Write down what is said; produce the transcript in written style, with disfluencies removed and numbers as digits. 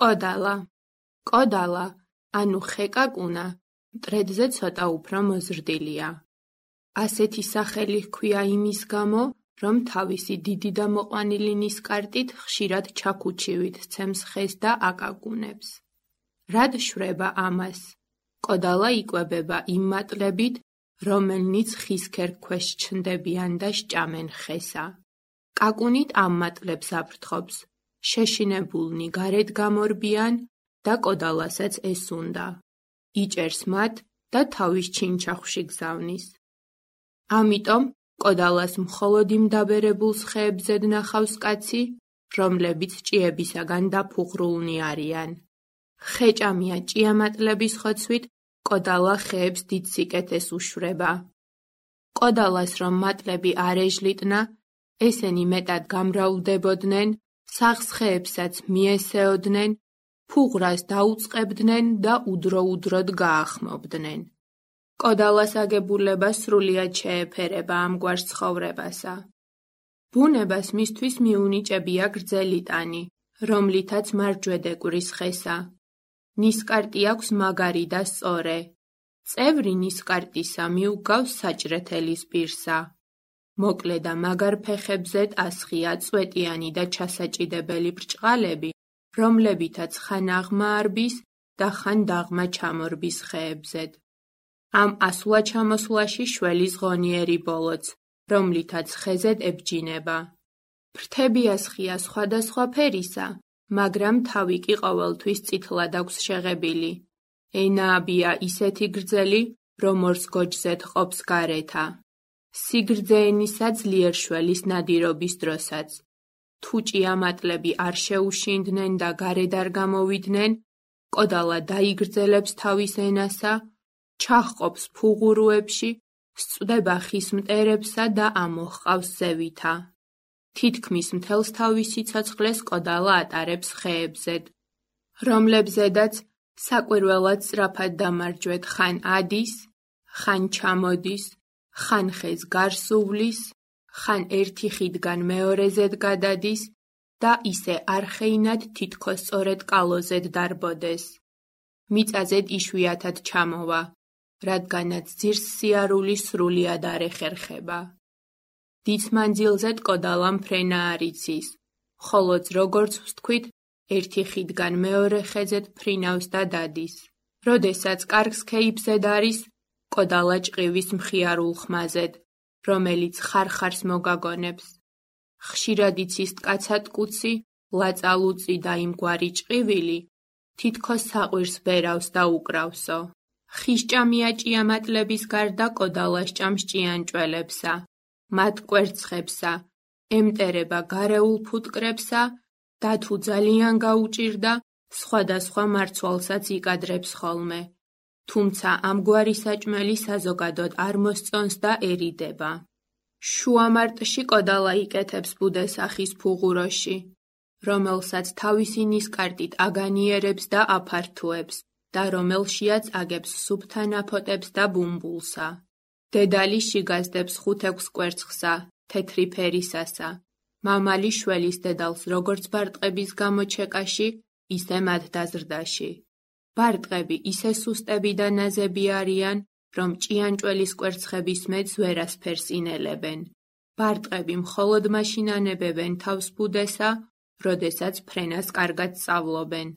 კოდალა. კოდალა, ანუ ხეკაკუნა, მტრედზე ცოტა უფრო მოზრდილია. ასეთი სახელი ჰქვია იმის გამო, რომ თავისი დიდი და მოყვანილი ნისკარტით ხშირად ჩაქუჩივით სცემს ხეს და აკაკუნებს. რად შვება ამას? კოდალა იკვებება იმ მატლებით, რომელნიც ხის ქერქქვეშ ჩნდებიან და სჭამენ ხესა. კაკუნით ამ მატლებს აფრთხობს, შეშინებულნი გარეთ გამორბიან და კოდალასაც ეს უნდა. იჭერს მათ და თავის ჩინჩახვში გზავნის. ამიტომ კოდალას მხოლოდ იმ დაბერებულ ხეებზე ნახავს კაცი, რომლებიც ჭიებისაგან დაფუღრულნი არიან. ხეჭამია ჭიამატლების ხოცვით, კოდალა ხეებს დიდ სიკეთეს უშვება. კოდალას რომ მატლები არ ეჟლიტნა, ესენი მეტად გამრავლდებოდნენ, საღს ხეებსაც მიესეოდნენ, ფუღრას დაუწყებდნენ და udro-udrod გაახმობდნენ. კოდალას აგებულება სრულიად შეეფერება ამგვარ ცხოვრებასა. ბუნებას მისთვის მიუნიჭებია გრძელი ტანი, რომლითაც მარჯვედ ეკვრის ხესა. ნისკარტი აქვს მაგარი და სწორე. წევრი ნისკარტისა მიუგავს საჭრეთელის პირსა. მოკლე და მაგარ ფეხებზე ტასხია წვეტიანი და ჩასაჭიდებელი ბრჭყალები, რომლებითაც ხან აღმაარბის და ხან დაღმა ჩამორბის ხეებზედ. ამ ასვლა-ჩამოსვლაში შველის ღონიერი ბოლოც, რომლითაც ხეზედ ებჯინება. ფრთებიას ხია სხვადასხვა ფერისა, მაგრამ თავი კი ყოველთვის წითლად აქვს შეღებილი. ენააბია ისეთი გრძელი, რომ ორს გოჯზე თყოფს გარეთა. სიგრძე ენისა ძლიერ შველის ნადირობის დროსაც. თუ ჭიამატლები არ შეუშინდნენ და გარეთ არ გამოვიდნენ, კოდალა დაიგრძელებს თავის ენასა, ჩაჰყოფს ფუღურუებში, სწვდება ხის მტერებსა და ამოჰყავს ზევითა. თითქმის მთელს თავის სიცოცხლეს კოდალა ატარებს ხეებზედ, რომლებზედაც საკვირველად სწრაფად დამარჯვეთ ხან ადის, ხან ჩამოდის, ხან ხეს გარს უვლის, ხან ერთი ხიდგან მეორეზედ გადადის და ისე არხეინად თითქოს სწორედ კალოზედ დარბოდეს. მიწაზედ იშვიათად ჩამოვა, რადგანაც ძირს სიარული სრულიად არ ეხერხება. დიდ მანძილზედ კოდალამ ფრენა არ იცის, ხოლოც როგორც ვთქვით, ერთი ხიდგან მეორე ხეზად ფრინავს და დადის. როდესაც კარგს ქეიფზედ არის, კოდალა ჭყივის მხიარულ ხმაზედ, რომელიც ხარხარს მოგაგონებს. ხშირად იცის ტკაცატკუცი, ლაწალუწი და იმგვარი ჭყივილი, თითქოს საყვირს ბერავს და უკრავსო. ხისჭამია ჭიამატლების გარდა კოდალა სჭამს ჭიანჭველებსა, მათ კვერცხებსა, ემტერება გარეულ ფუტკრებსა და თუ ძალიან გაუჭირდა, სხვადასხვა მარცვალსაც იკადრებს ხოლმე. თუმცა ამგვარი საჭმელი საზოგადოდ არ მოსწონს და ერიდება. შუა მარტში კოდალა იკეთებს ბუდესახის ფუღუროში, რომელსაც თავისი ნისკარტით აგანიერებს და აფართოებს და რომელშიაც აგებს სუფთა ნაფოტებს და ბუმბულსა. დედალი შიგაძდებს 5-6 კვერცხსა, თეთრი ფერისასა. მამალი შველის დედალს როგორც ბარტყების გამოჩეკაში, ისე მათ დაზრდაში. ბარტყები ისე სუსტები და ნაზები არიან, რომ ჭიანჭველის კვერცხების მეც ვერასფერს ინელებენ. ბარტყები მხოლოდ მაშინ ანებებენ თავს ბუდესა, როდესაც ფრენას კარგად სწავლობენ.